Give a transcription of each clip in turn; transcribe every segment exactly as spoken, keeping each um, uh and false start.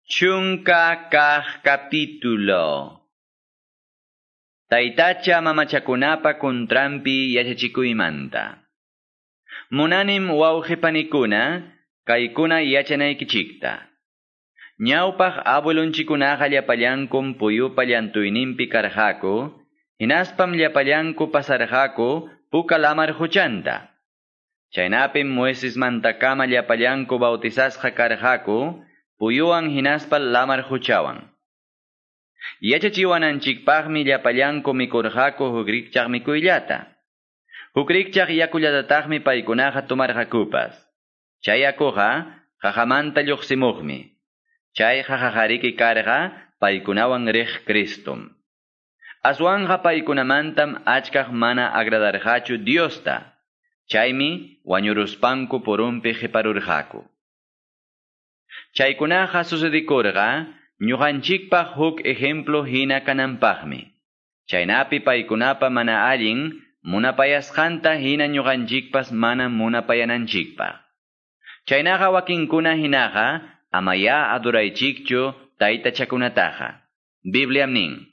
Chunka kaq capítulo. Taytacha mamachakunapa kuntranpi yachachikuymanta. Munanim wawqipanikuna, kaykuna yachanaykichikta. Ñawpaq abuelonchikunaqa llapallankum puyupa llantuyninpi karqaku, hinaspam llapallanku pasarqaku puka lamar huchanta. Chaynapim Moisesmantakama llapallanku bautizasqa karqaku, puyuwan hinaspa lamar huchawan. Yachachiwananchikpaqmi llapallanku mikurqaku huk rikchaq mikuyllata. Huk rikchaq yakullatataqmi paykunaqa tomarqakupas. Chay yakuqa qaqamanta lluqsimuqmi. Chay qaqaqariki karqa paykunawan riq Cristum. Aswanqa paykunamantam achkaq mana agradarqachu Diosta. Chaymi wañuruspanku purunpi qiparurqaku. Chaykunaqa sucedikurqa ñuqanchikpaq huk ejemplo hina kananpaqmi. Chaynapi paykunapa mana allin munapayasqanta hina ñuqanchikpas mana munapayananchikpaq. Chaynaqa wakinkuna hinaqa amaya adoraychikchu taytachakunataqa. Bibliam nin: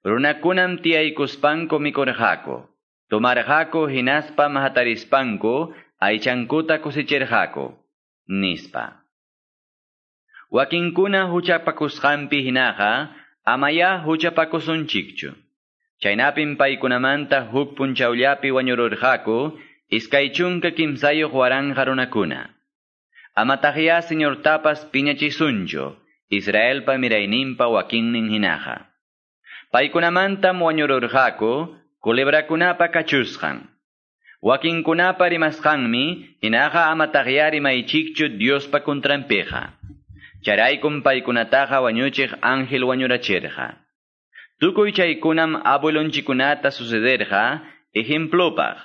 Runakunam tiyaykuspanku mikurqaku, tomarqaku hinaspa hatarispanku aychankuta kusichirqaku, nispa. Wakinkuna huchapakusqanpi hinaqa amaya huchapakusunchikchu. Chaynapim paykunamanta huk punchawllapi wañururqaku iskay chunka kimsayuq waranqa runakuna. Amataqya Señortapas piñachisunchu, Israelpa mirayninpa wakinnin hinaqa. Paykunamantam wañururqaku culebrakunapa kachusqan. Wakinkunapa rimasqanmi hinaqa amataqya rimaychikchu Diospa kuntranpiqa. Chayraykum paykunataqa wañuchiq ángel wañurachirqa. Tukuy chaykunam abuelonchikunata sucederqa ejemplopaq.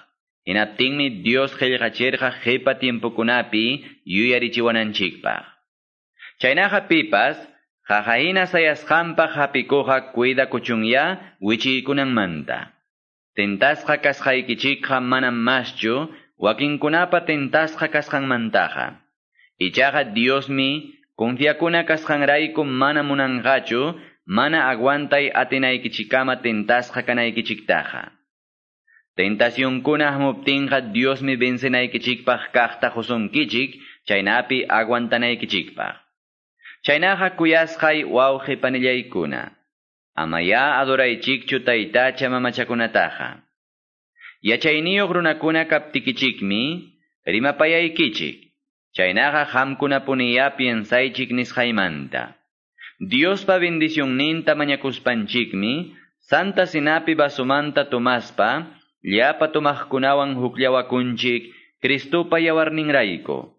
Hinaptinmi Dios qillqachirqa qipa tiempokunapi yuyarichiwananchikpaq. Chaynaqa pipas qaqahina sayasqanpaq hapikuqa cuidakuchunya wichiykunanmanta. Tentasqa kasqaykichikqa manam maschu wakinkunapa tentasqa kasqanmantaqa. Ichaqa Diosmi confiakuna kasqanrayku mana munanqachu, mana aguantay atinaykichikama tentasqa kanaykichiktaqa. Tentacionkuna hamuptinqa Diosmi vencenaykichikpaq kaqta qusunkichik, chaynapi aguantanaykichikpaq. Chaynaqa kuyasqay wawqi panillaykuna, amaya adoraychikchu taytacha mamachakunataqa. Yachayniyuq runakuna kaptikichikmi rimapayaykichik. Chaynaqa qamkunapuniya piensaychik nisqaymanta. Diospa bendicionninta mañakuspanchikmi, Santa Cenapi vasomanta tomaspa, llapa tomaqkunawan hukllawakunchik Cristopa yawarninrayku.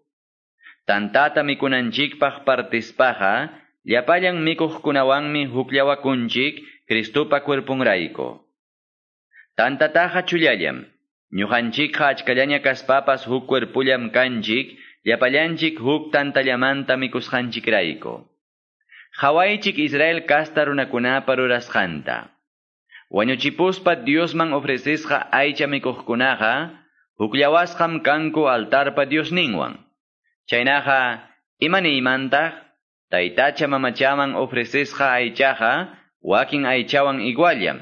Tantata mikunanchikpaq partispaqa, llapallan mikuqkunawanmi hukllawakunchik Cristopa cuerpunrayku. Tantataqa chullallam, ñuqanchikqa achkallaña kaspapas huk cuerpullam kanchik, llapallanchik huk tantallamanta mikusqanchikrayku. Qhawaychik Israel kasta runakunapa rurasqanta. Wañuchipuspa Diosman ofrecisqa aycha mikuqkunaqa, hukllawasqam kanku altarpa Diosninwan. Chaynaqa, imaniymantaq, taytacha mamachaman ofrecisqa aychaqa, wakin aychawan iguallam.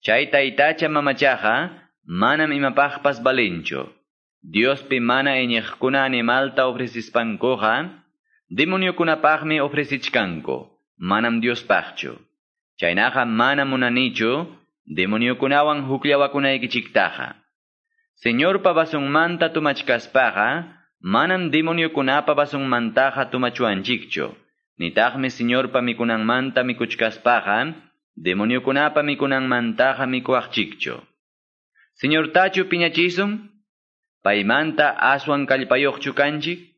Chay taytacha mamachaqa, manam imapaqpas valinchu. Diospi mana iñiqkuna animalta ofrecispankuqa, demoniokunapaqmi ofrecichkanku, manam Diospaqchu. Chaynaqa mana munanichu, demoniokunawan hukllawakunaykichiktaqa. Señorpa vasunmanta tumachkaspaqa, manam demoniokunapa vasunmantaqa tumachuanchikchu. Nitaqmi Señorpa mikunanmanta mikuchkaspaqa, demoniokunapa mikunanmantaqa mikuaqchikchu. Señortachu piñachisun? Paymanta aswan kallpayuqchu kanchik?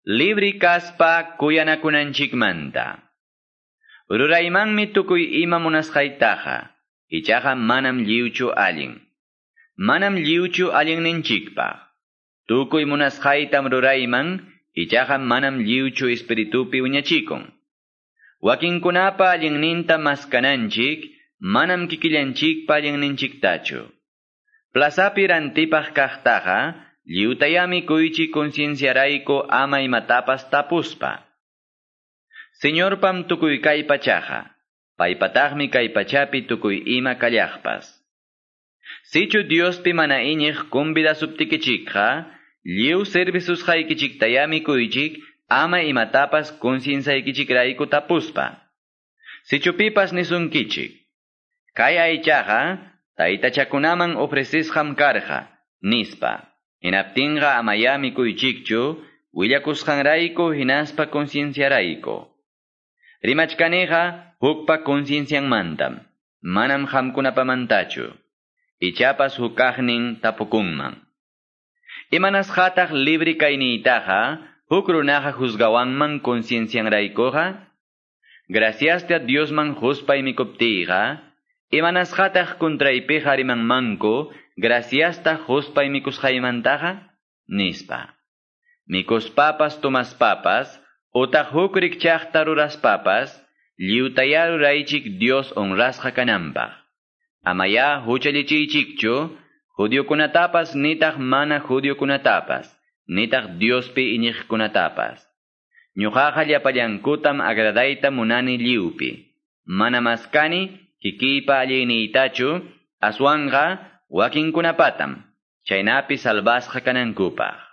Libri kaspa kuyanakunanchikmanta. Ruraymanmi tukuy ima munasqaytaqa, ichaqa manam lliwchu allin. Manam lliwchu allinninchikpaq. Tukuy munasqaytam rurayman, ichaqa manam lliwchu espiritupi wiñachikun. Wakinkunapa allinninta maskananchik, manam kikillanchikpa allinninchiktachu. Plazapi rantipaq kaqtaqa, lliwtayami kuychik concienciarayku ama imatapas tapuspa. Señorpam tukuy kay pachaqa, paypataqmi kay pachapi tukuy ima kallaqpas. Sichu Diospi mana iñiq convidasuptikichikqa, lliw servisusqaykichiktayá mikuychik, ama imatapas concienciaykichikrayku tapuspa. Sichu pipas nisunkichik, kay aychaqa taytachakunaman ofrecisqam karqa, nispa. Hinaptinqa amayá mikuychikchu, willakusqanrayku hinaspa concienciarayku. Rimachkaniqa hukpa conciencianmantam, manam qamkunapamantachu. Ichapas hukaqnin tapukunman. Imanasqataq libre kayniytaqa, huk runaqa juzgawanman conciencianraykuqa? Graciasta Diosman huspay mikuptiyqa, imanasqataq kuntraypiqa rimanmanku, graciasta huspay mikusqaymantaqa? Nispa. Mikuspapas tomaspapas, utaq huk rikchaqta ruraspapas, lliwtayá ruraychik Dios honrasqa kananpaq. Amayá huchallichiychikchu, judiokunatapas nitaq mana judiokunatapas, nitaq Diospi iñiqkunatapas. Ñuqaqa llapallankutam agradayta munani lliwpi. Mana maskani kikiypa alliyniytachu, aswanqa wakinkunapatam, chaynapi salvasqa kanankupaq.